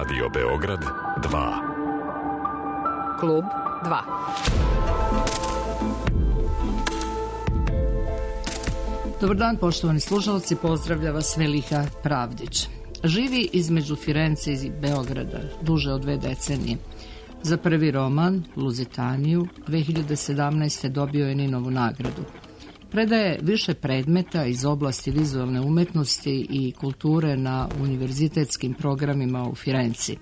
Radio Beograd 2. Klub 2. Dobar dan, poštovani slušalci, pozdravlja vas Veliha Pravdić. Živi između Firence i Beograda duže od 2 decenije. Za prvi roman, Luzitaniju, 2017. dobio je Ninovu nagradu. Predaje više predmeta iz oblasti vizualne umetnosti i kulture na univerzitetskim programima u Firenci.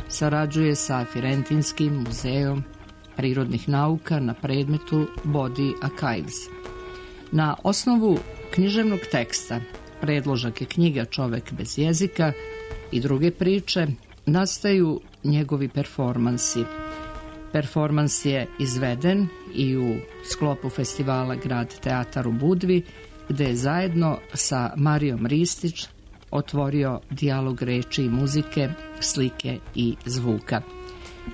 Sarađuje sa Firentinskim muzejom prirodnih nauka na predmetu Body Archives. Na osnovu književnog teksta, predložak je knjiga Čovek bez jezika i druge priče, nastaju njegovi performansi. Performans je izveden i u sklopu festivala Grad teatar u Budvi, gde je zajedno sa Marijom Ristić otvorio dijalog reči i muzike, slike i zvuka.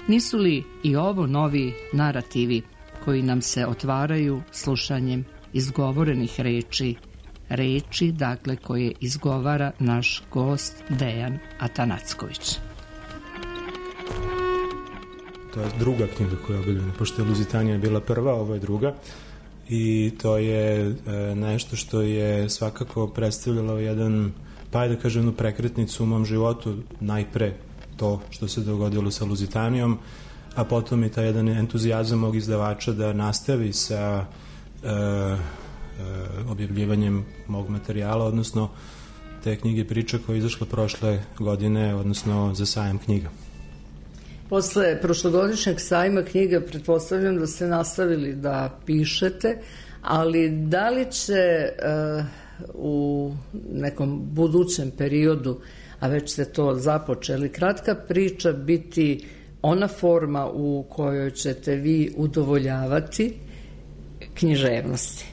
Nisu li i ovo novi narativi koji nam se otvaraju slušanjem izgovorenih reči, dakle, koje izgovara naš gost Dejan Atanacković? To je druga knjiga koja je objavljena, pošto je Luzitanija bila prva, ovo je druga, i to je nešto što je svakako predstavljalo jedan, pa da kažem, jednu prekretnicu u mom životu, najpre to što se dogodilo sa Luzitanijom, a potom i taj jedan entuzijazam mog izdavača da nastavi sa objavljivanjem mog materijala, odnosno te knjige priče koja je izašla prošle godine, odnosno za sajam knjiga. Posle prošlogodišnjeg sajma knjiga pretpostavljam da ste nastavili da pišete, ali da li će u nekom budućem periodu, a već ste to započeli, kratka priča biti ona forma u kojoj ćete vi udovoljavati književnosti?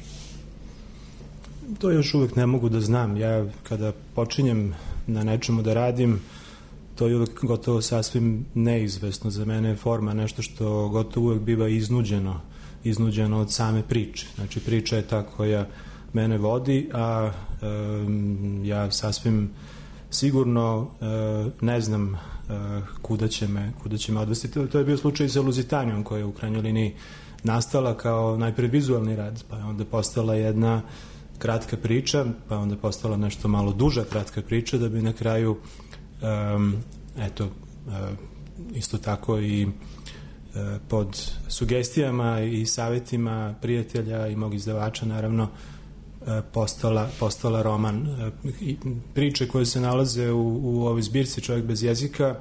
To još uvek ne mogu da znam. Ja kada počinjem na nečemu da radim, to je uvek gotovo sasvim neizvesno. Za mene je forma nešto što gotovo uvek biva iznuđeno od same priče. Znači, priča je ta koja mene vodi, a ja sasvim sigurno ne znam kuda će me odvesti. To je bio slučaj sa Luzitanijom, koja je u krajnjoj liniji nastala kao najpre vizualni rad, pa je onda postala jedna kratka priča, pa je onda postala nešto malo duža kratka priča, da bi na kraju isto tako i pod sugestijama i savjetima prijatelja i mog izdavača, naravno, postala roman. Priče koje se nalaze u ovoj zbirci Čovjek bez jezika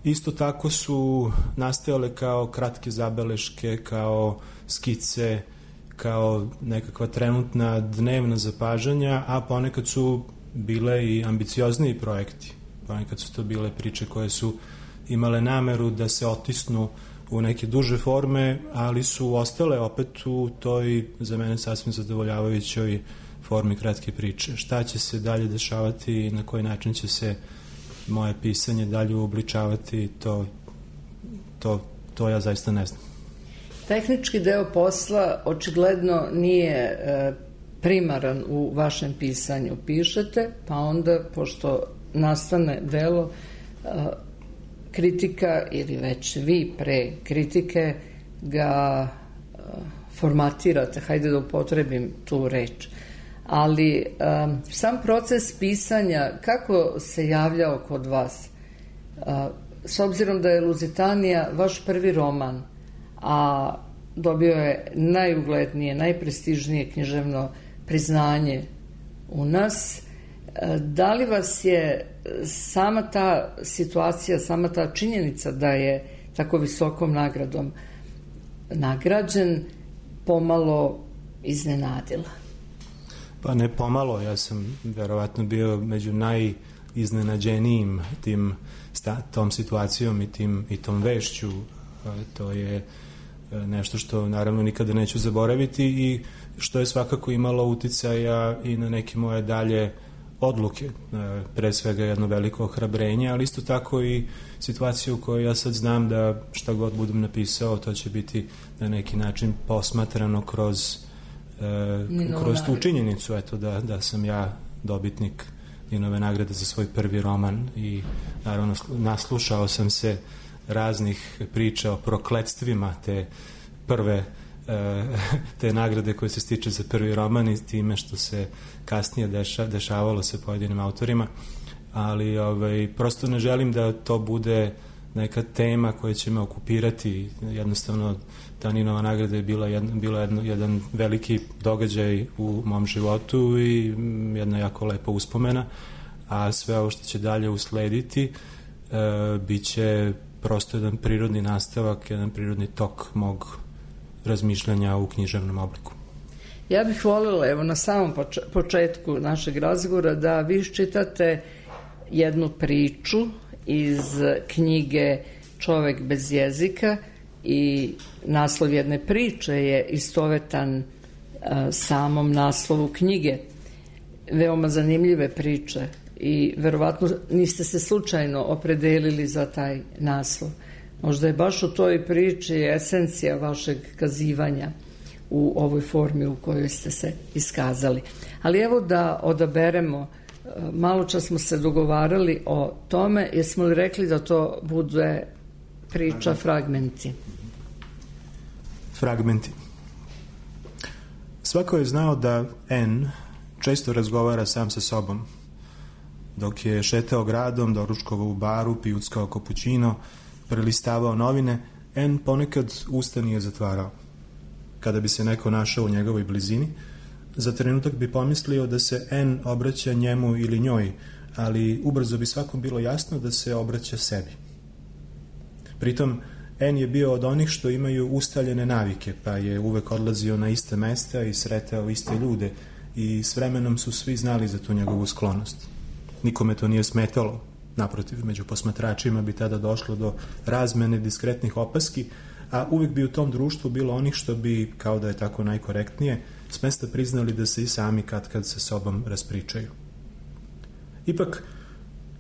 isto tako su nastajale kao kratke zabeleške, kao skice, kao nekakva trenutna dnevna zapažanja, a ponekad su bile i ambiciozniji projekti. Ponekad su to bile priče koje su imale nameru da se otisnu u neke duže forme, ali su ostale opet u toj, za mene, sasvim zadovoljavajućoj formi kratke priče. Šta će se dalje dešavati i na koji način će se moje pisanje dalje uobličavati, to ja zaista ne znam. Tehnički deo posla očigledno nije primaran u vašem pisanju. Pišete, pa onda, pošto nastane delo, kritika, ili već vi pre kritike ga formatirate, hajde da upotrebim tu reč. Ali sam proces pisanja, kako se javljao kod vas? S obzirom da je Luzitanija vaš prvi roman, a dobio je najuglednije, najprestižnije književno priznanje u nas, da li vas je sama ta situacija, sama ta činjenica da je tako visokom nagradom nagrađen pomalo iznenadila? Pa ne pomalo, ja sam verovatno bio među najiznenađenijim tom situacijom i tom vešću. To je nešto što naravno nikada neću zaboraviti i što je svakako imalo uticaja i na neke moje dalje odluke, pre svega jedno veliko ohrabrenje, ali isto tako i situaciju u kojoj ja sad znam da šta god budem napisao, to će biti na neki način posmatrano kroz tu činjenicu, eto, da sam ja dobitnik Ninove nagrade za svoj prvi roman i naravno naslušao sam se raznih priča o prokletstvima te prve te nagrade koje se stiče za prvi roman i time što se kasnije dešavalo se pojedinim autorima, ali prosto ne želim da to bude neka tema koja će me okupirati. Jednostavno ta Ninova nagrada je bila jedan veliki događaj u mom životu i jedna jako lepa uspomena, a sve ovo što će dalje uslediti bit će prosto jedan prirodni nastavak, jedan prirodni tok mog razmišljanja u književnom obliku. Ja bih voljela, evo na samom početku našeg razgovora, da vi čitate jednu priču iz knjige Čovek bez jezika i naslov jedne priče je istovetan samom naslovu knjige. Veoma zanimljive priče i verovatno niste se slučajno opredelili za taj naslov. Možda je baš u toj priči esencija vašeg kazivanja u ovoj formi u kojoj ste se iskazali. Ali evo da odaberemo, malo čas smo se dogovarali o tome, jesmo li rekli da to bude priča fragmenti? Fragmenti. Svako je znao da N često razgovara sam sa sobom. Dok je šetao gradom, doručkovao u baru, pijuckao kapućino, prelistavao novine, N ponekad usta nije zatvarao. Kada bi se neko našao u njegovoj blizini, za trenutak bi pomislio da se N obraća njemu ili njoj, ali ubrzo bi svakom bilo jasno da se obraća sebi. Pritom, N je bio od onih što imaju ustaljene navike, pa je uvek odlazio na iste mesta i sretao iste ljude i s vremenom su svi znali za tu njegovu sklonost. Nikome to nije smetalo. Naprotiv, među posmatračima bi tada došlo do razmene diskretnih opaski, a uvijek bi u tom društvu bilo onih što bi, kao da je tako najkorektnije, s mesta priznali da se i sami kad sa sobom raspričaju. Ipak,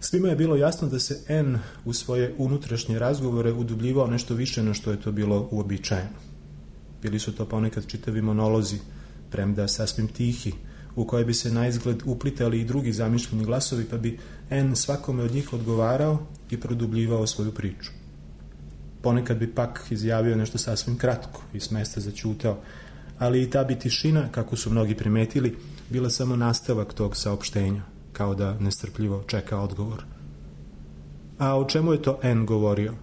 svima je bilo jasno da se N u svoje unutrašnje razgovore udubljivao nešto više na što je to bilo uobičajeno. Bili su to ponekad čitavi monolozi, premda sasvim tihi, u koje bi se na izgled uplitali i drugi zamišljeni glasovi, pa bi N svakome od njih odgovarao i produbljivao svoju priču. Ponekad bi pak izjavio nešto sasvim kratko i s mesta zaćutao, ali i ta bi tišina, kako su mnogi primetili, bila samo nastavak tog saopštenja, kao da nestrpljivo čeka odgovor. A o čemu je to N govorio?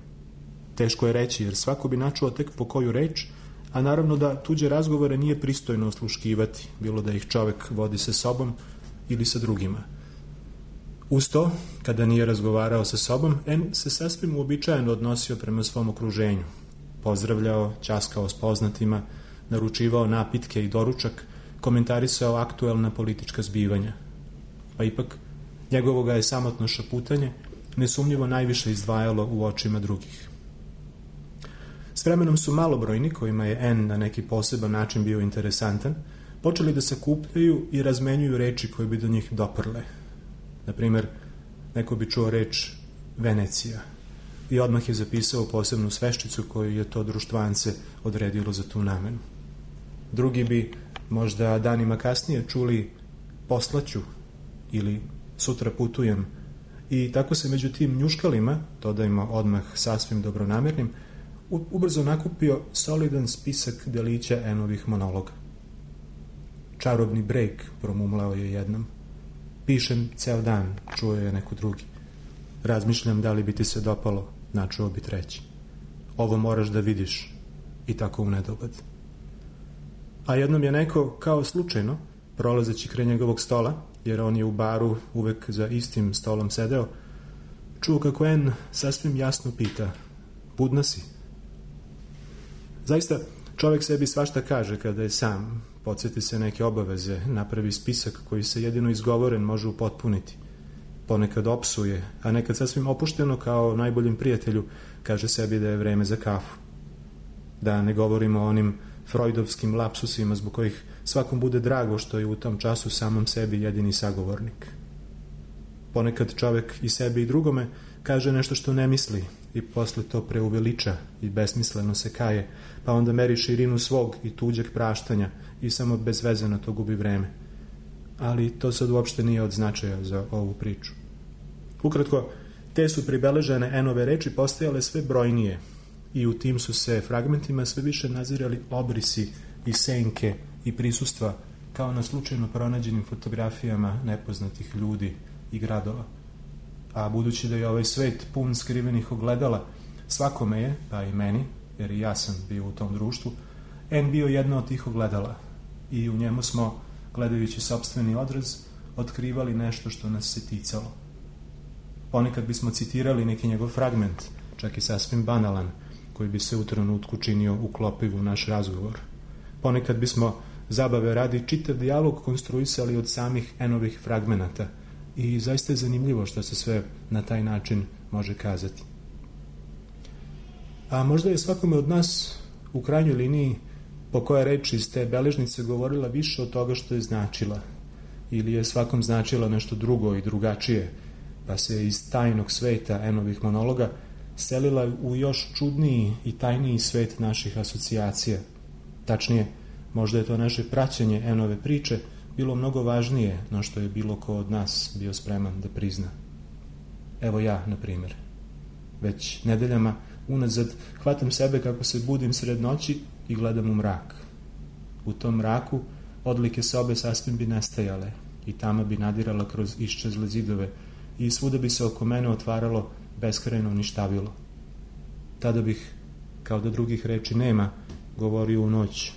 Teško je reći, jer svako bi načuo tek po koju reč, a naravno da tuđe razgovore nije pristojno osluškivati, bilo da ih čovek vodi sa sobom ili sa drugima. Uz to, kada nije razgovarao sa sobom, N se sasvim uobičajeno odnosio prema svom okruženju. Pozdravljao, ćaskao s poznatima, naručivao napitke i doručak, komentarisao aktuelna politička zbivanja. Pa ipak, njegovo ga je samotno šaputanje nesumnjivo najviše izdvajalo u očima drugih. S vremenom su malobrojni, kojima je N na neki poseban način bio interesantan, počeli da se kupljaju i razmenjuju reči koje bi do njih doprle. Naprimer, neko bi čuo reč Venecija i odmah je zapisao posebnu sveščicu koju je to društvance odredilo za tu namenu. Drugi bi možda danima kasnije čuli poslaću ili sutra putujem i tako se među tim njuškalima, dodajmo odmah sasvim dobronamernim, ubrzo nakupio solidan spisak delića N-ovih monologa. Čarobni brejk, promumlao je jednom. Pišem ceo dan, čuo je neko drugi. Razmišljam da li bi ti se dopalo, načuo bi treći. Ovo moraš da vidiš, i tako u nedogled. A jednom je neko, kao slučajno, prolazeći kraj njegovog stola, jer on je u baru uvek za istim stolom sedeo, čuo kako N sasvim jasno pita: budna si? Zaista, čovek sebi svašta kaže kada je sam, podsjeti se neke obaveze, napravi spisak koji se jedino izgovoren može upotpuniti. Ponekad opsuje, a nekad sasvim opušteno kao najboljem prijatelju kaže sebi da je vreme za kafu. Da ne govorimo o onim freudovskim lapsusima zbog kojih svakom bude drago što je u tom času samom sebi jedini sagovornik. Ponekad čovek i sebi i drugome kaže nešto što ne misli i posle to preuveliča i besmisleno se kaje, pa onda meri širinu svog i tuđeg praštanja i samo bez veze na to gubi vreme. ali to sad uopšte nije od značaja za ovu priču. Ukratko, te su pribeležene N-ove reči postajale sve brojnije i u tim su se fragmentima sve više nazirali obrisi i senke i prisustva kao na slučajno pronađenim fotografijama nepoznatih ljudi i gradova. A budući da je ovaj svet pun skrivenih ogledala, svakome je, pa i meni, jer i ja sam bio u tom društvu, N bio jedno od tih ogledala i u njemu smo, gledajući sopstveni odraz, otkrivali nešto što nas se ticalo. Ponekad bismo citirali neki njegov fragment, čak i sasvim banalan, koji bi se u trenutku činio uklopiv u naš razgovor. Ponekad bismo, zabave radi, čitav dijalog konstruisali od samih N-ovih fragmenata i zaista je zanimljivo što se sve na taj način može kazati. A možda je svakome od nas u krajnjoj liniji po koja reč iz te beležnice govorila više od toga što je značila, ili je svakom značila nešto drugo i drugačije, pa se iz tajnog sveta N-ovih monologa selila u još čudniji i tajniji svet naših asocijacija. Tačnije, možda je to naše praćenje N-ove priče bilo mnogo važnije no što je bilo ko od nas bio spreman da prizna. Evo ja, na primjer. Već nedeljama unazad hvatam sebe kako se budim sred noći i gledam u mrak. U tom mraku odlike sobe sasvim bi nestajale i tama bi nadirala kroz iščezle zidove i svuda bi se oko mene otvaralo beskrajno ništavilo. Tada bih, kao da drugih reči nema, govorio u noć: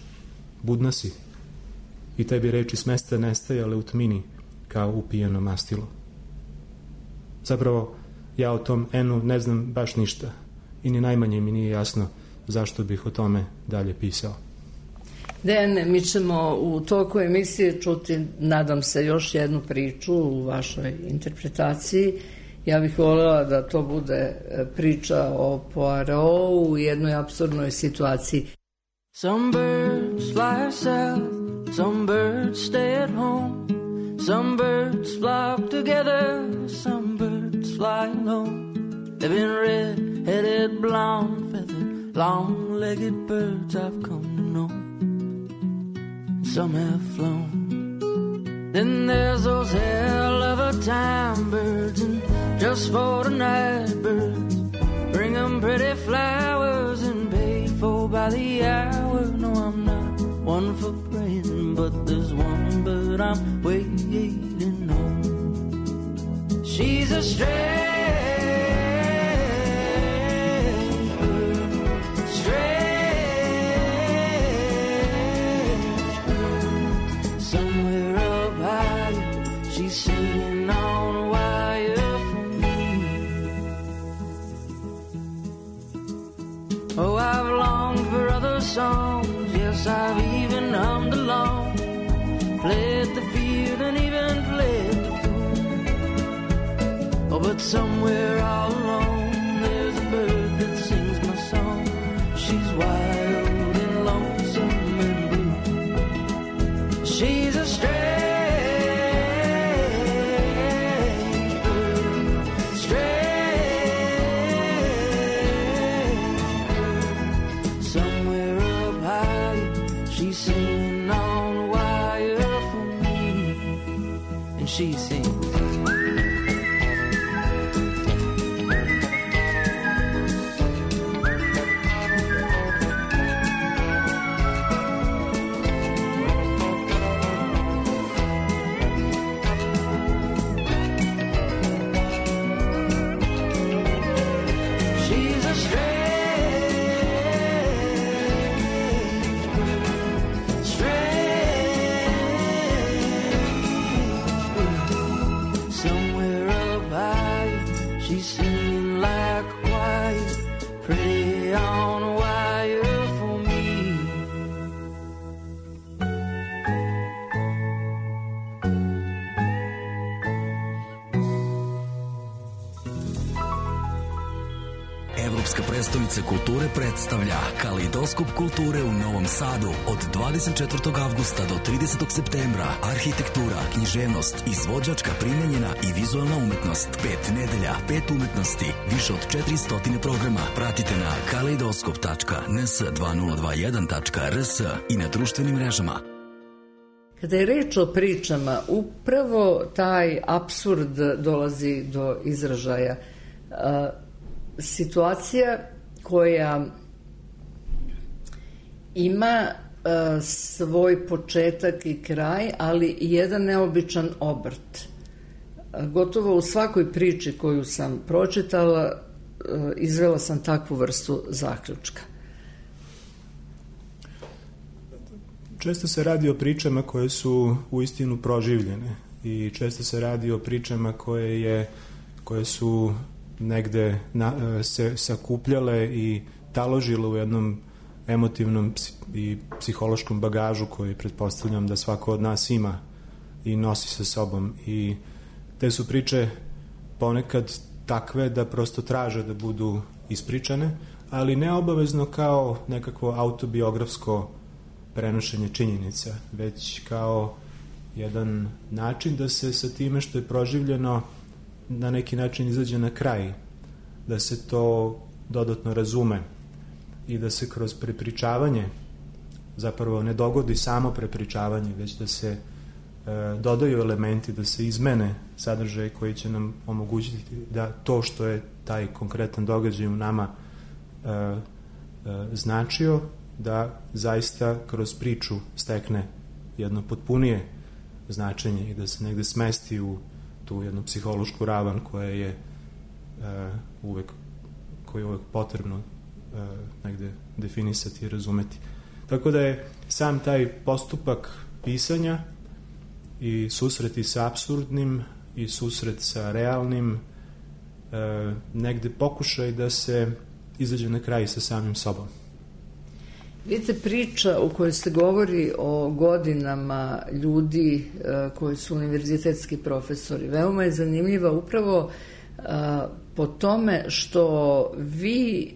budna si. I te bi reči s mesta nestajale u tmini kao upijeno mastilo. Zapravo, ja o tom N-u ne znam baš ništa i ni najmanje mi nije jasno zašto bih o tome dalje pisao. Dejane, mi ćemo u toku emisije čuti, nadam se, još jednu priču u vašoj interpretaciji. Ja bih voljela da to bude priča o Poirotu u jednoj apsurdnoj situaciji. Some birds fly south, some birds stay at home, some birds flock together, some birds fly alone. They've been red-headed, blonde-feathered, long-legged birds I've come to know. Some have flown. Then there's those hell of a time birds, and just for the night birds, bring them pretty flowers and pay for by the hour. No, I'm not one for praying, but there's one bird I'm waiting on. She's a strange bird, strange bird. Somewhere up high, she's singing on a wire for me. Oh, I've longed for other songs, yes, I've even hummed along, played the field and even played the fool. Oh, but somewhere all alone, there's a bird that sings my song. She's wild and lonesome and blue. She's a strange bird, strange bird. Somewhere up high, she's singing on a wire for me, and she sings. She's a strange bird, strange bird. Somewhere up high, she's singing like a choir, pretty on a wire for me. Evropska prestonica kulture predstavlja Kaleidoskop kulture u Novom Sadu od 24. avgusta do 30. septembra. Arhitektura, književnost, izvođačka, primenjena i vizualna umetnost. 5 nedelja, 5 umetnosti, više od 400 programa. Pratite na kaleidoskop.ns2021.rs i na društvenim mrežama. Kada je reč o pričama, upravo taj apsurd dolazi do izražaja. Situacija koja ima svoj početak i kraj, ali i jedan neobičan obrt. Gotovo u svakoj priči koju sam pročitala izvela sam takvu vrstu zaključka. Često se radi o pričama koje su uistinu proživljene i često se radi o pričama koje su negde se sakupljale i taložile u jednom emotivnom i psihološkom bagažu koji pretpostavljam da svako od nas ima i nosi sa sobom. I te su priče ponekad takve da prosto traže da budu ispričane, ali ne obavezno kao nekakvo autobiografsko prenošenje činjenica, već kao jedan način da se sa time što je proživljeno na neki način izađe na kraj, da se to dodatno razume i da se kroz prepričavanje zapravo ne dogodi samo prepričavanje, već da se dodaju elementi, da se izmene sadržaj koji će nam omogućiti da to što je taj konkretan događaj u nama značio, da zaista kroz priču stekne jedno potpunije značenje i da se negde smesti u tu jednu psihološku ravan koja je uvek potrebno negde definisati i razumeti. Tako da je sam taj postupak pisanja i susreti sa apsurdnim i susret sa realnim negde pokušaj da se izađe na kraj sa samim sobom. Vidite, priča u kojoj se govori o godinama ljudi koji su univerzitetski profesori, veoma je zanimljiva upravo po tome što vi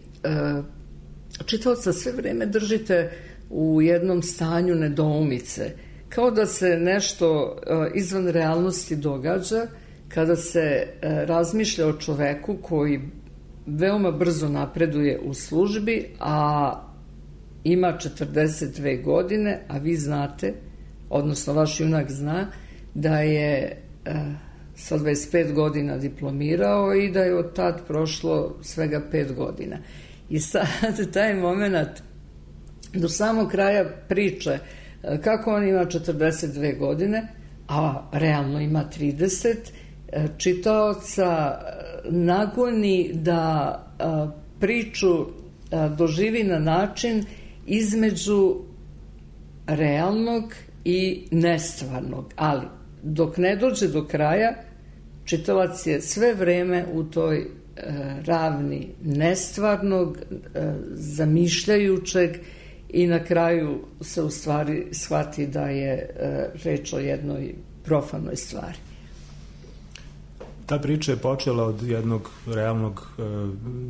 čitaoca sve vreme držite u jednom stanju nedoumice, kao da se nešto izvan realnosti događa kada se razmišlja o čoveku koji veoma brzo napreduje u službi, a ima 42 godine, a vi znate, odnosno vaš junak zna, da je sa 25 godina diplomirao i da je od tad prošlo svega 5 godina. I sad taj moment do samog kraja priče kako on ima 42 godine, a realno ima 30, čitaoca nagoni da priču doživi na način između realnog i nestvarnog, ali dok ne dođe do kraja, čitalac je sve vreme u toj ravni nestvarnog, zamišljajućeg, i na kraju se u stvari shvati da je reč o jednoj profanoj stvari. Ta priča je počela od jednog realnog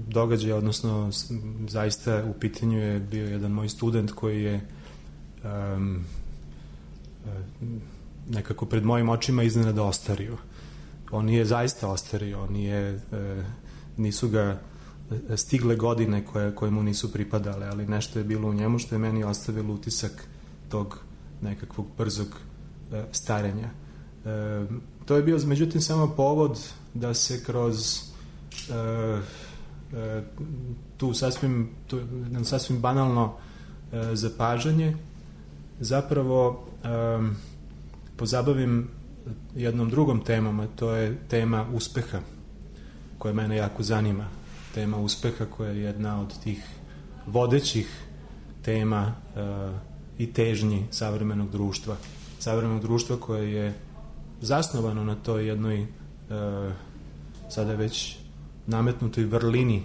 događaja, odnosno zaista u pitanju je bio jedan moj student koji je nekako pred mojim očima iznenada ostario. On je zaista ostario, nisu ga stigle godine koje mu nisu pripadale, ali nešto je bilo u njemu što je meni ostavilo utisak tog nekakvog brzog starenja. To je bio, međutim, samo povod da se kroz sasvim banalno zapažanje zapravo pozabavim jednom drugom temom, a to je tema uspeha, koja mene jako zanima. Tema uspeha koja je jedna od tih vodećih tema i težnji savremenog društva koje je zasnovano na toj jednoj sada već nametnutoj vrlini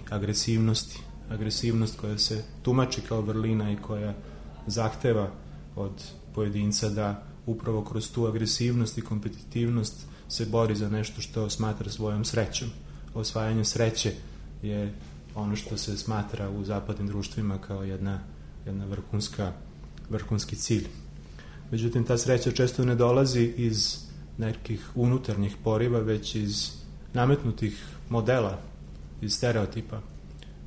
agresivnost koja se tumači kao vrlina i koja zahteva od pojedinca da upravo kroz tu agresivnost i kompetitivnost se bori za nešto što smatra svojom srećom. Osvajanje sreće je ono što se smatra u zapadnim društvima kao jedna vrhunski cilj. Međutim, ta sreća često ne dolazi iz nekih unutarnjih poriva, već iz nametnutih modela, iz stereotipa,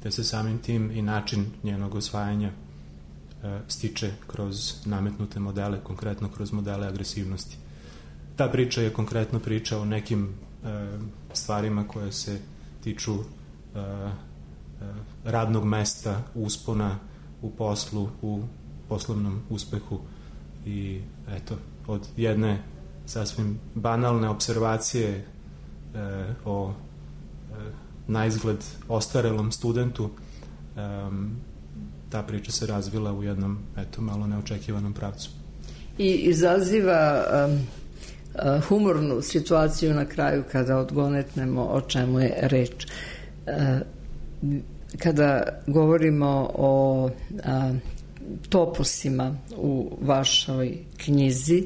te se samim tim i način njenog osvajanja stiče kroz nametnute modele, konkretno kroz modele agresivnosti. Ta priča je konkretno priča o nekim stvarima koje se tiču radnog mesta, uspona u poslu, u poslovnom uspehu i eto, od jedne sasvim banalne observacije o naizgled ostarelom studentu, ta priča se razvila u jednom, eto, malo neočekivanom pravcu. I izaziva humornu situaciju na kraju kada odgonetnemo o čemu je reč. Kada govorimo o topusima u vašoj knjizi,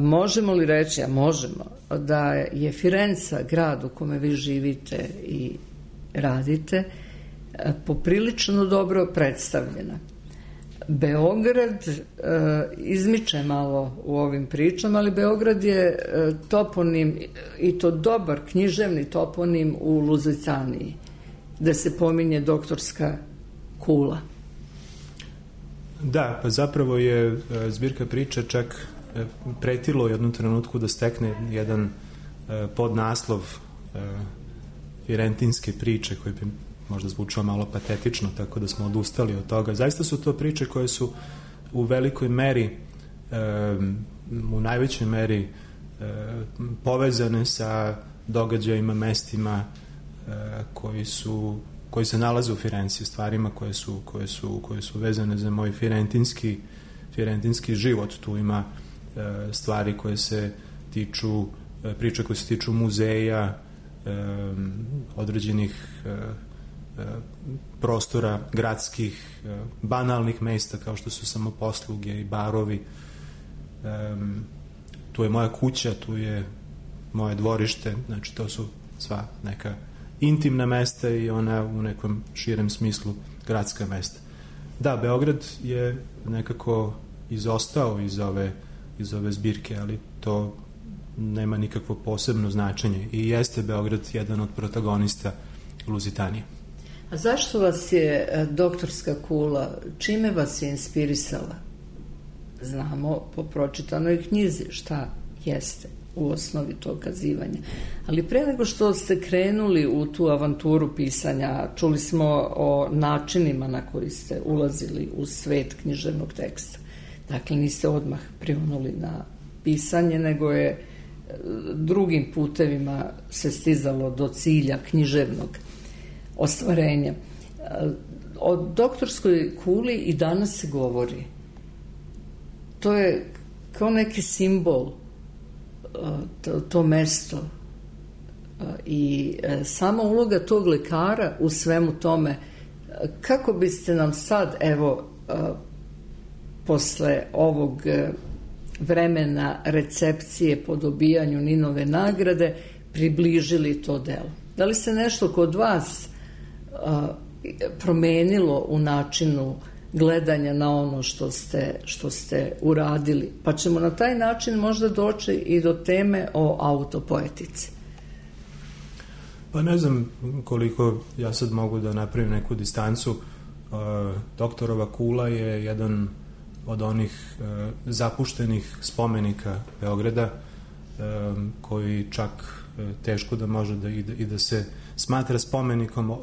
možemo li reći, a možemo, da je Firenca, grad u kome vi živite i radite, poprilično dobro predstavljena. Beograd izmiče malo u ovim pričama, ali Beograd je toponim, i to dobar književni toponim u Luzitaniji, gde se pominje doktorska kula. Da, pa zapravo je zbirka priče čak pretilo u jednom trenutku da stekne jedan podnaslov firentinske priče, koji bi možda zvučao malo patetično, tako da smo odustali od toga. Zaista su to priče koje su u velikoj meri, u najvećoj meri povezane sa događajima, mestima koji se nalaze u Firenci, stvarima koje su vezane za moj firentinski život. Tu ima stvari koje se tiču, priče koje se tiču muzeja, određenih prostora gradskih, banalnih mesta kao što su samoposluge i barovi. Tu je moja kuća, tu je moje dvorište, znači to su sva neka intimna mesta i ona u nekom širem smislu gradska mesta. Da, Beograd je nekako izostao iz ove zbirke, ali to nema nikakvo posebno značenje i jeste Beograd jedan od protagonista Luzitanije. A zašto vas je doktorska kula, čime vas je inspirisala? Znamo po pročitanoj knjizi šta jeste u osnovi tog kazivanja. Ali pre nego što ste krenuli u tu avanturu pisanja, čuli smo o načinima na koji ste ulazili u svet književnog teksta. Dakle, niste odmah prionuli na pisanje, nego je drugim putevima se stizalo do cilja književnog ostvarenja. O doktorskoj kuli i danas se govori. To je kao neki simbol, to mesto i sama uloga tog lekara u svemu tome. Kako biste nam sad, evo, posle ovog vremena recepcije po dobijanju Ninove nagrade približili to delo? Da li se nešto kod vas promenilo u načinu gledanja na ono što ste uradili? Pa ćemo na taj način možda doći i do teme o autopoetici. Pa ne znam koliko ja sad mogu da napravim neku distancu. Doktorova kula je jedan od onih zapuštenih spomenika Beograda, koji čak teško da može i da se smatra spomenikom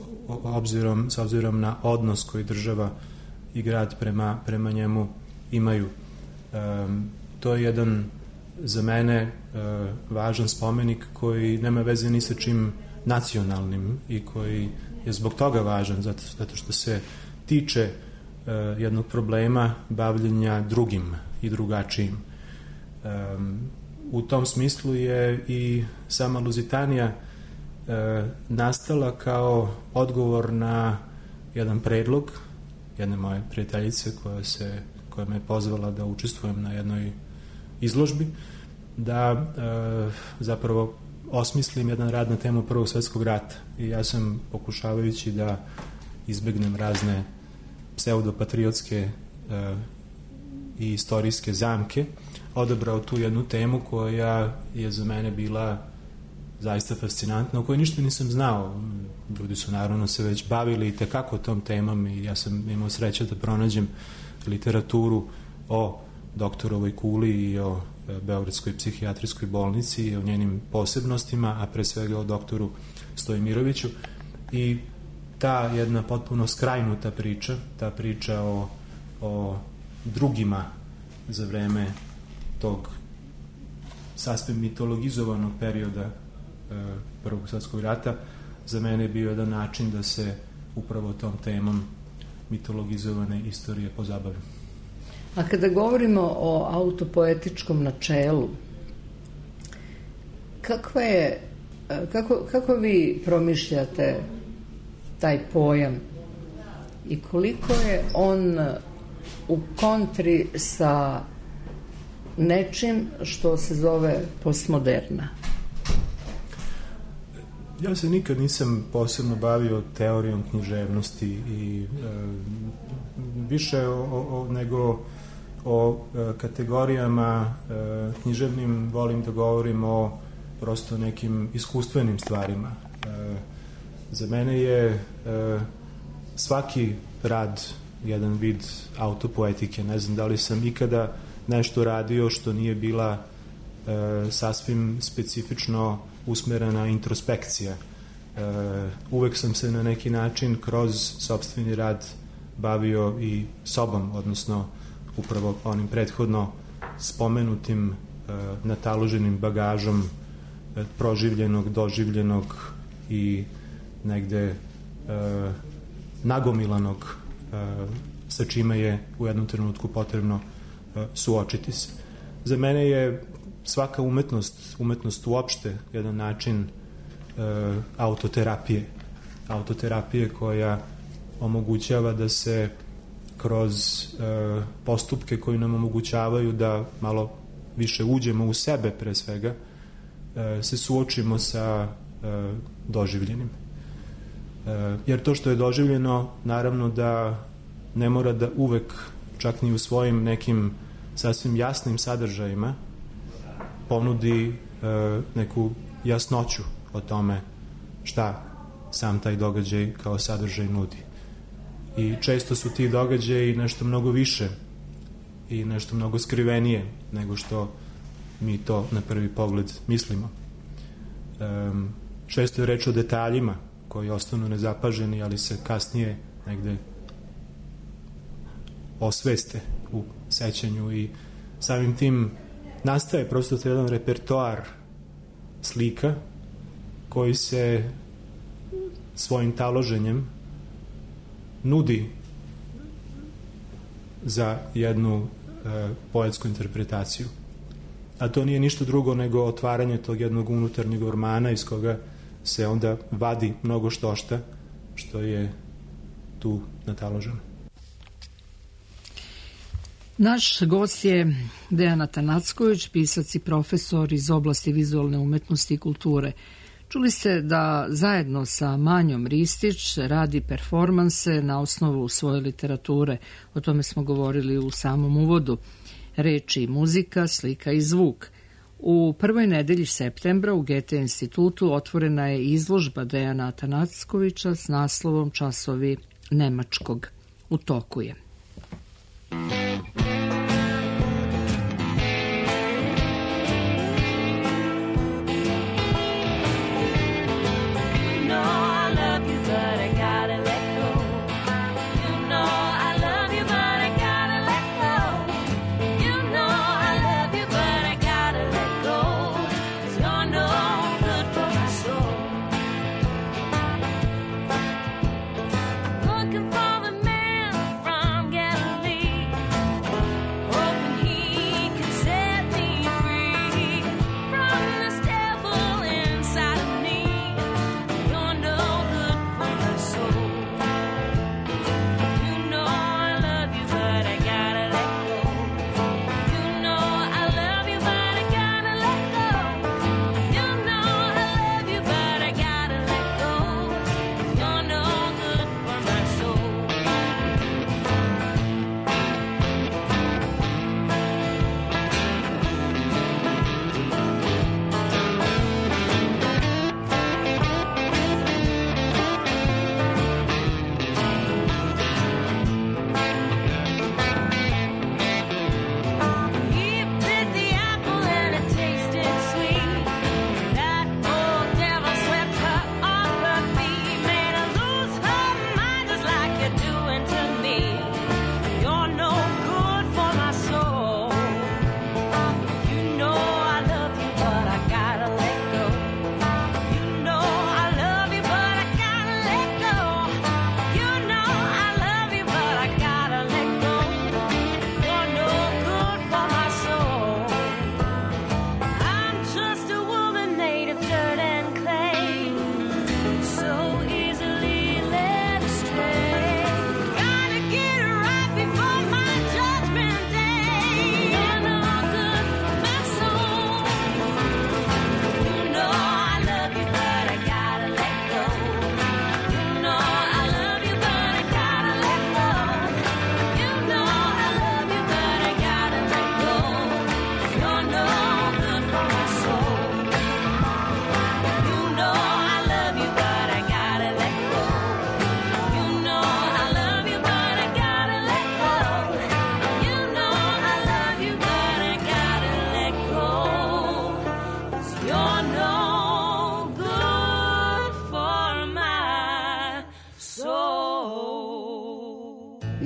s obzirom na odnos koji država i grad prema njemu imaju. To je jedan za mene važan spomenik koji nema veze ni sa čim nacionalnim i koji je zbog toga važan, zato što se tiče jednog problema bavljenja drugim i drugačijim. U tom smislu je i sama Luzitanija nastala kao odgovor na jedan predlog jedne moje prijateljice koja me je pozvala da učestvujem na jednoj izložbi, da zapravo osmislim jedan rad na temu Prvog svjetskog rata. I ja sam, pokušavajući da izbegnem razne pseudopatriotske i istorijske zamke, odabrao tu jednu temu koja je za mene bila zaista fascinantna, o kojoj ništa nisam znao. Ljudi su naravno se već bavili itekako tom temom i ja sam imao sreće da pronađem literaturu o doktorovoj kuli i o Beogradskoj psihijatrijskoj bolnici i o njenim posebnostima, a pre svega o doktoru Stojmiroviću. I ta jedna potpuno skrajnuta priča, ta priča o drugima za vreme tog sasvim mitologizovanog perioda Prvog svjetskog rata, za mene je bio jedan način da se upravo tom temom mitologizovane istorije pozabavim. A kada govorimo o autopoetičkom načelu, kako vi promišljate taj pojam i koliko je on u kontri sa nečim što se zove postmoderna? Ja se nikad nisam posebno bavio teorijom književnosti i više nego o kategorijama književnim volim da govorim o prosto nekim iskustvenim stvarima. Za mene je svaki rad jedan vid autopoetike. Ne znam da li sam ikada nešto radio što nije bila sasvim specifično usmerena introspekcija. Uvek sam se na neki način kroz sopstveni rad bavio i sobom, odnosno upravo onim prethodno spomenutim nataloženim bagažom proživljenog, doživljenog i negde nagomilanog sa čime je u jednom trenutku potrebno suočiti se. Za mene je svaka umetnost uopšte jedan način autoterapije koja omogućava da se kroz postupke koji nam omogućavaju da malo više uđemo u sebe pre svega, se suočimo sa doživljenim. Jer to što je doživljeno, naravno da ne mora da uvek, čak ni u svojim nekim sasvim jasnim sadržajima, ponudi neku jasnoću o tome šta sam taj događaj kao sadržaj nudi. I često su ti događaji nešto mnogo više i nešto mnogo skrivenije nego što mi to na prvi pogled mislimo. Često je reč o detaljima koji ostanu nezapaženi, ali se kasnije negde osveste u sećanju i samim tim nastaje prosto jedan repertoar slika koji se svojim taloženjem nudi za jednu poetsku interpretaciju. A to nije ništa drugo nego otvaranje tog jednog unutarnjeg ormana iz koga se onda vadi mnogo štošta što je tu nataloženo. Naš gost je Dejan Atanacković, pisac i profesor iz oblasti vizualne umetnosti i kulture. Čuli ste da zajedno sa Manjom Ristić radi performanse na osnovu svoje literature. O tome smo govorili u samom uvodu. Reči i muzika, slika i zvuk. U prvoj nedelji septembra u Goethe institutu otvorena je izložba Dejana Atanackovića s naslovom Časovi nemačkog. U toku je. Looking for the man from Galilee.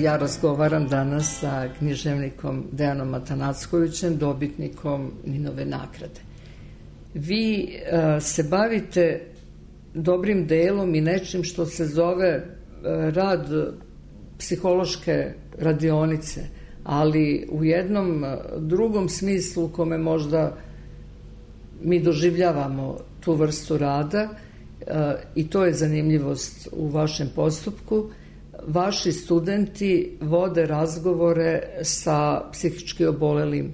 Ja razgovaram danas sa književnikom Dejanom Atanackovićem, dobitnikom Ninove nagrade. Vi se bavite dobrim delom i nečim što se zove rad psihološke radionice, ali u jednom drugom smislu u kome možda mi doživljavamo tu vrstu rada, i to je zanimljivost u vašem postupku. Vaši studenti vode razgovore sa psihički obolelim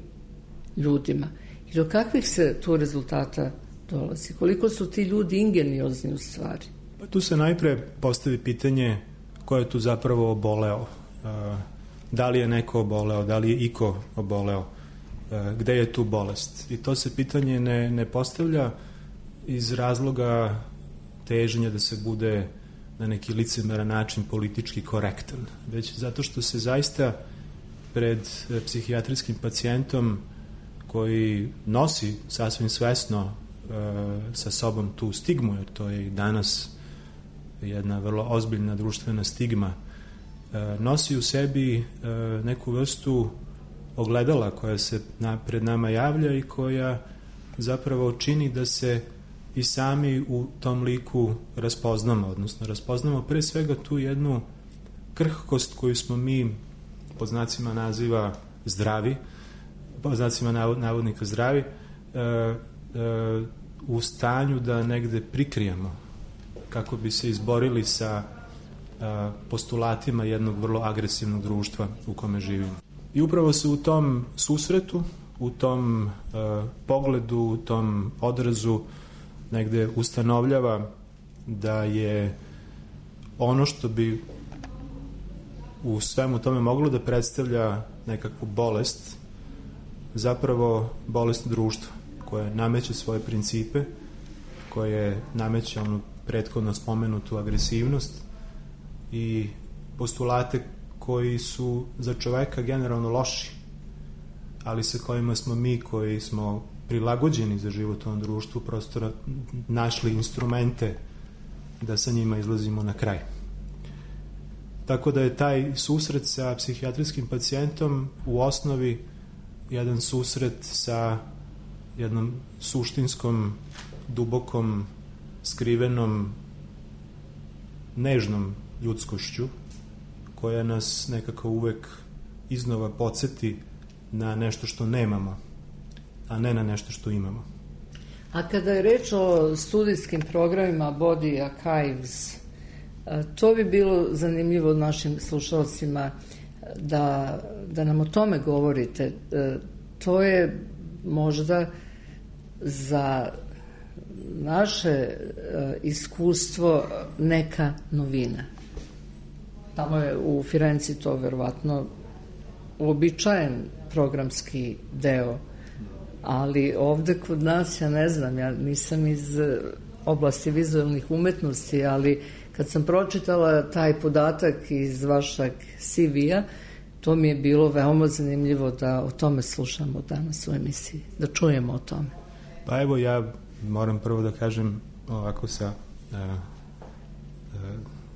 ljudima. I do kakvih se tu rezultata dolazi? Koliko su ti ljudi ingeniozni u stvari? Pa tu se najpre postavi pitanje ko je tu zapravo oboleo. Da li je neko oboleo, da li je iko oboleo, gde je tu bolest. I to se pitanje ne postavlja iz razloga teženja da se bude na neki licemeran način politički korektan, već zato što se zaista pred psihijatrijskim pacijentom koji nosi sasvim svesno sa sobom tu stigmu, jer to je i danas jedna vrlo ozbiljna društvena stigma, nosi u sebi neku vrstu ogledala koja se pred nama javlja i koja zapravo čini da se i sami u tom liku raspoznamo, odnosno raspoznamo pre svega tu jednu krhkost koju smo mi pod znacima naziva zdravi, pod znacima navodnika zdravi, u stanju da negde prikrijemo kako bi se izborili sa postulatima jednog vrlo agresivnog društva u kome živimo. I upravo se u tom susretu, u tom pogledu, u tom odrazu negde ustanovljava da je ono što bi u svemu tome moglo da predstavlja nekakvu bolest, zapravo bolest društva, koja nameće svoje principe, koje nameće onu prethodno spomenutu agresivnost i postulate koji su za čoveka generalno loši, ali sa kojima smo mi koji smo prilagođeni za život u ovom društvu prosto našli instrumente da sa njima izlazimo na kraj. Tako da je taj susret sa psihijatrijskim pacijentom u osnovi jedan susret sa jednom suštinskom, dubokom, skrivenom, nežnom ljudskošću koja nas nekako uvek iznova podsjeti na nešto što nemamo, a ne na nešto što imamo. A kada je reč o studijskim programima Body Archives, to bi bilo zanimljivo našim slušalcima da nam o tome govorite. To je možda za naše iskustvo neka novina. Tamo je u Firenci to verovatno uobičajen programski deo, ali ovde kod nas, ja ne znam, ja nisam iz oblasti vizualnih umetnosti, ali kad sam pročitala taj podatak iz vašeg CV-a, to mi je bilo veoma zanimljivo da o tome slušamo danas u emisiji, da čujemo o tome. Pa evo, ja moram prvo da kažem ovako sa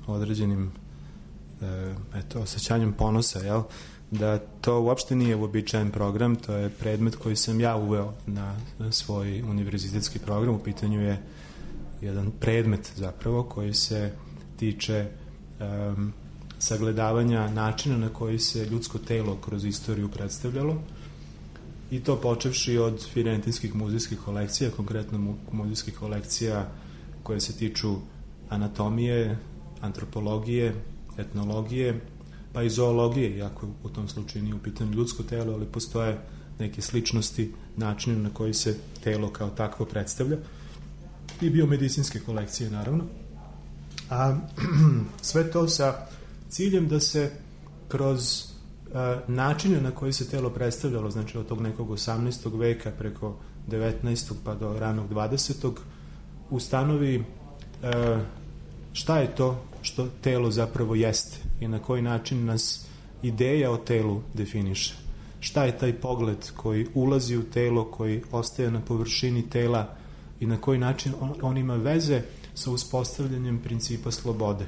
određenim osjećanjem ponosa, jel? Da to uopšte nije uobičajen program, to je predmet koji sam ja uveo na svoj univerzitetski program. U pitanju je jedan predmet zapravo koji se tiče sagledavanja načina na koji se ljudsko telo kroz istoriju predstavljalo, i to počevši od firentinskih muzejskih kolekcija, konkretno muzejskih kolekcija koje se tiču anatomije, antropologije, etnologije, pa i zoologije, iako u tom slučaju nije u pitanju ljudsko telo, ali postoje neke sličnosti načina na koji se telo kao takvo predstavlja, i biomedicinske kolekcije naravno. A sve to sa ciljem da se kroz načine na koji se telo predstavljalo, znači od tog nekog 18. veka preko 19. pa do ranog 20. ustanovi šta je to što telo zapravo jeste i na koji način nas ideja o telu definiše. Šta je taj pogled koji ulazi u telo, koji ostaje na površini tela i na koji način on ima veze sa uspostavljanjem principa slobode.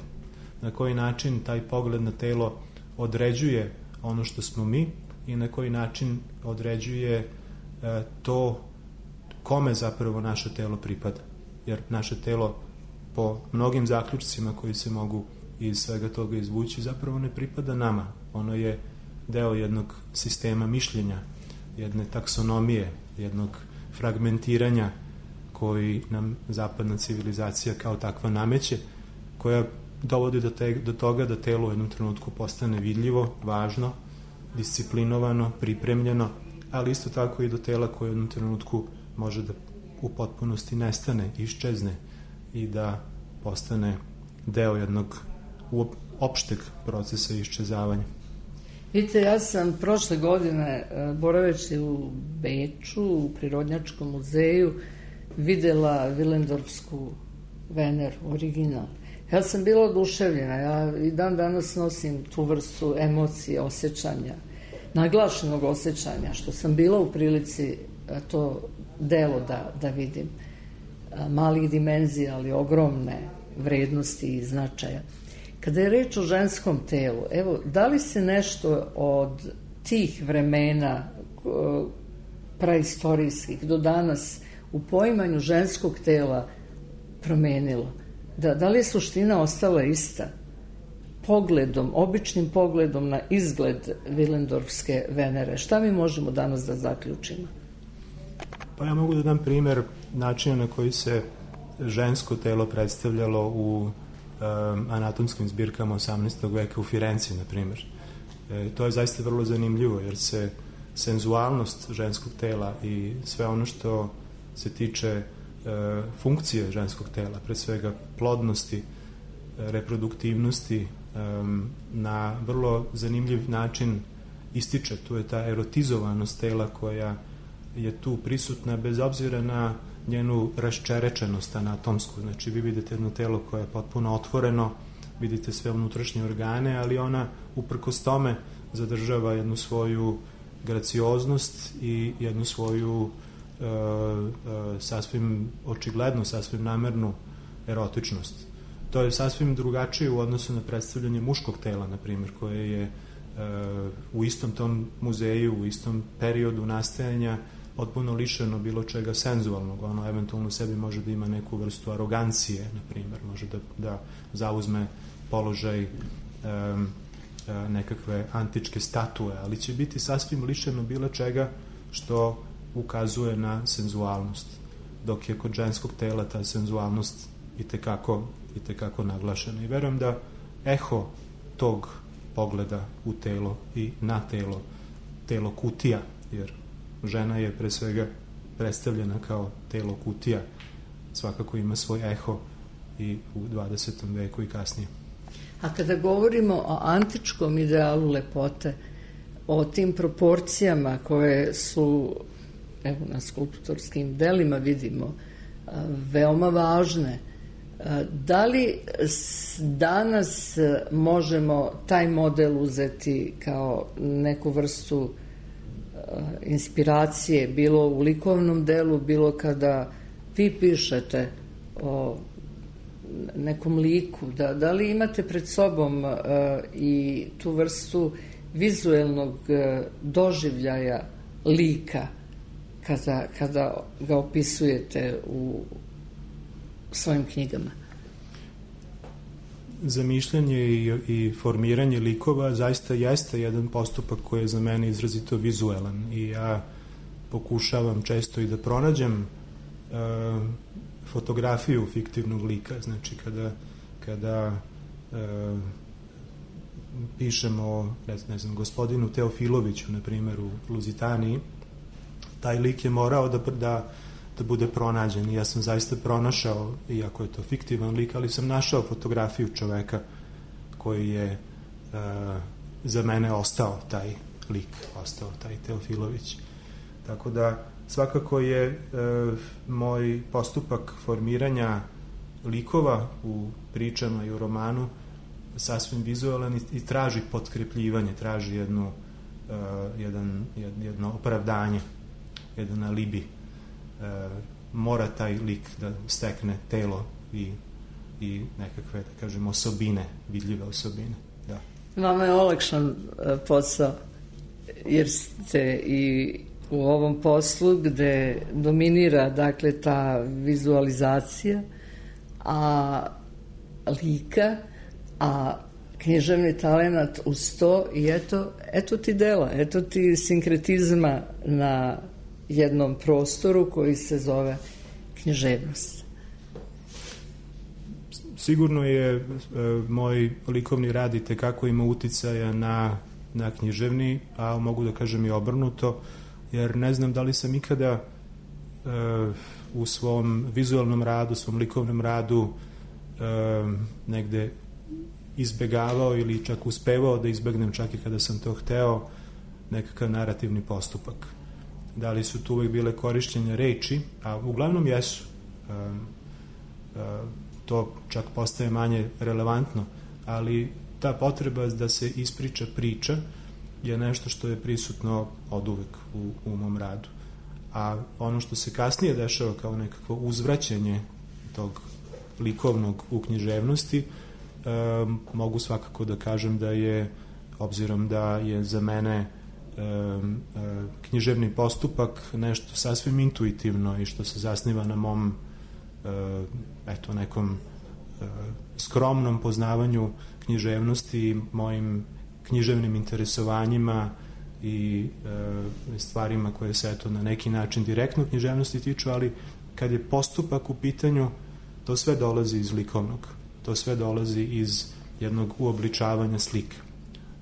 Na koji način taj pogled na telo određuje ono što smo mi i na koji način određuje to kome zapravo naše telo pripada. Jer naše telo po mnogim zaključcima koji se mogu iz svega toga izvući zapravo ne pripada nama. Ono je deo jednog sistema mišljenja, jedne taksonomije, jednog fragmentiranja koji nam zapadna civilizacija kao takva nameće, koja dovodi do toga da telo u jednom trenutku postane vidljivo, važno, disciplinovano, pripremljeno, ali isto tako i do tela koje u jednom trenutku može da u potpunosti nestane, iščezne i da postane deo jednog opšteg procesa iščezavanja. Vidite, ja sam prošle godine, boraveći u Beču, u Prirodnjačkom muzeju, videla Willendorfsku Veneru, original. Ja sam bila oduševljena, ja i dan danas nosim tu vrstu emocije, osjećanja, naglašenog osjećanja, što sam bila u prilici to delo da vidim. Malih dimenzija, ali ogromne vrednosti i značaja. Kada je reč o ženskom telu, evo, da li se nešto od tih vremena praistorijskih do danas u poimanju ženskog tela promenilo? Da li je suština ostala ista? Pogledom, običnim pogledom na izgled Willendorfske Venere, šta mi možemo danas da zaključimo? Pa ja mogu da dam primer načina na koji se žensko telo predstavljalo u anatomskim zbirkama 18. veka u Firenci, na primjer. To je zaista vrlo zanimljivo, jer se senzualnost ženskog tela i sve ono što se tiče funkcije ženskog tela, pre svega plodnosti, reproduktivnosti, na vrlo zanimljiv način ističe. Tu je ta erotizovanost tela koja je tu prisutna bez obzira na njenu raščerečenost anatomsku. Znači, vi vidite jedno telo koje je potpuno otvoreno, vidite sve unutrašnje organe, ali ona uprkos tome zadržava jednu svoju gracioznost i jednu svoju sasvim očigledno, sasvim namernu erotičnost. To je sasvim drugačije u odnosu na predstavljanje muškog tela, na primjer, koje je u istom tom muzeju, u istom periodu nastajanja potpuno lišeno bilo čega senzualnog. Ono eventualno u sebi može da ima neku vrstu arogancije, na primjer, može da zauzme položaj nekakve antičke statue, ali će biti sasvim lišeno bilo čega što ukazuje na senzualnost, dok je kod ženskog tela ta senzualnost i tekako naglašena. I verujem da eho tog pogleda u telo i na telo kutija, jer žena je pre svega predstavljena kao telo kutija, svakako ima svoj eho i u 20. veku i kasnije. A kada govorimo o antičkom idealu lepote, o tim proporcijama koje su, evo na skulptorskim delima vidimo, veoma važne, da li danas možemo taj model uzeti kao neku vrstu inspiracije, bilo u likovnom delu, bilo kada vi pišete o nekom liku, da li imate pred sobom i tu vrstu vizuelnog doživljaja lika kada ga opisujete u svojim knjigama? Zamišljanje i formiranje likova zaista jeste jedan postupak koji je za mene izrazito vizuelan i ja pokušavam često i da pronađem fotografiju fiktivnog lika. Znači kada pišemo o gospodinu Teofiloviću, na primjer, u Luzitaniji, taj lik je morao da bude pronađen i ja sam zaista pronašao, iako je to fiktivan lik, ali sam našao fotografiju čoveka koji je za mene ostao taj lik, ostao taj Teofilović. Tako da svakako je moj postupak formiranja likova u pričama i u romanu sasvim vizualan i traži potkrepljivanje, traži jedno opravdanje, jedan alibi. Mora taj lik da stekne telo i nekakve, da kažem, osobine, vidljive osobine. Da. Vama je olakšan posao, jer ste i u ovom poslu gde dominira, dakle, ta vizualizacija, a lika, a književni talenat uz to i eto ti dela, eto ti sinkretizma na jednom prostoru koji se zove književnost. Sigurno je moj likovni rad i tekako ima uticaja na književni, a mogu da kažem i obrnuto, jer ne znam da li sam ikada u svom vizualnom radu, svom likovnom radu negde izbegavao ili čak uspevao da izbegnem, čak i kada sam to hteo, nekakav narativni postupak. Da li su tu uvek bile korišćenja reči, a uglavnom jesu. To čak postaje manje relevantno, ali ta potreba da se ispriča priča je nešto što je prisutno od uvek u mom radu. A ono što se kasnije dešava kao nekako uzvraćanje tog likovnog u književnosti, mogu svakako da kažem da je, obzirom da je za mene književni postupak nešto sasvim intuitivno i što se zasniva na mom nekom skromnom poznavanju književnosti, mojim književnim interesovanjima i stvarima koje se na neki način direktno književnosti tiču, ali kad je postupak u pitanju, to sve dolazi iz likovnog, to sve dolazi iz jednog uobličavanja slika.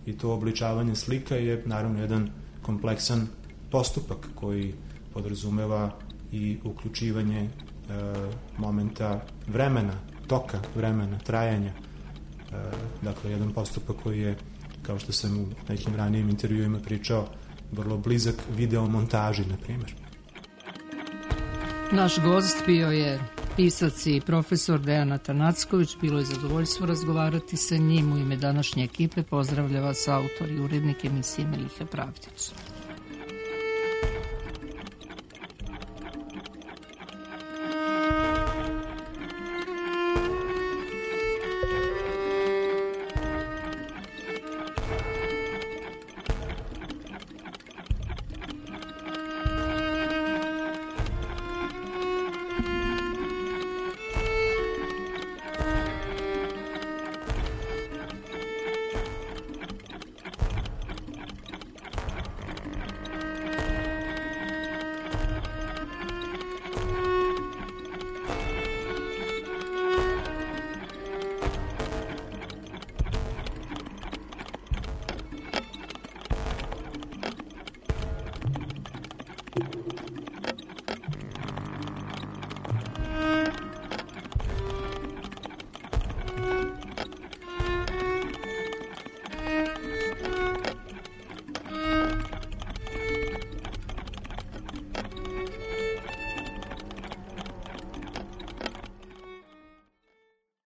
I to uobličavanje slika je naravno jedan kompleksan postupak koji podrazumeva i uključivanje momenta vremena, toka vremena, trajanja. Dakle, jedan postupak koji je, kao što sam u nekim ranijim intervjuima pričao, vrlo blizak videomontaži, na primjer. Naš gost bio je pisac i profesor Dejan Atanacković. Bilo je zadovoljstvo razgovarati sa njim. U ime današnje ekipe pozdravlja vas autor i urednik emisije Meliha Pravdić.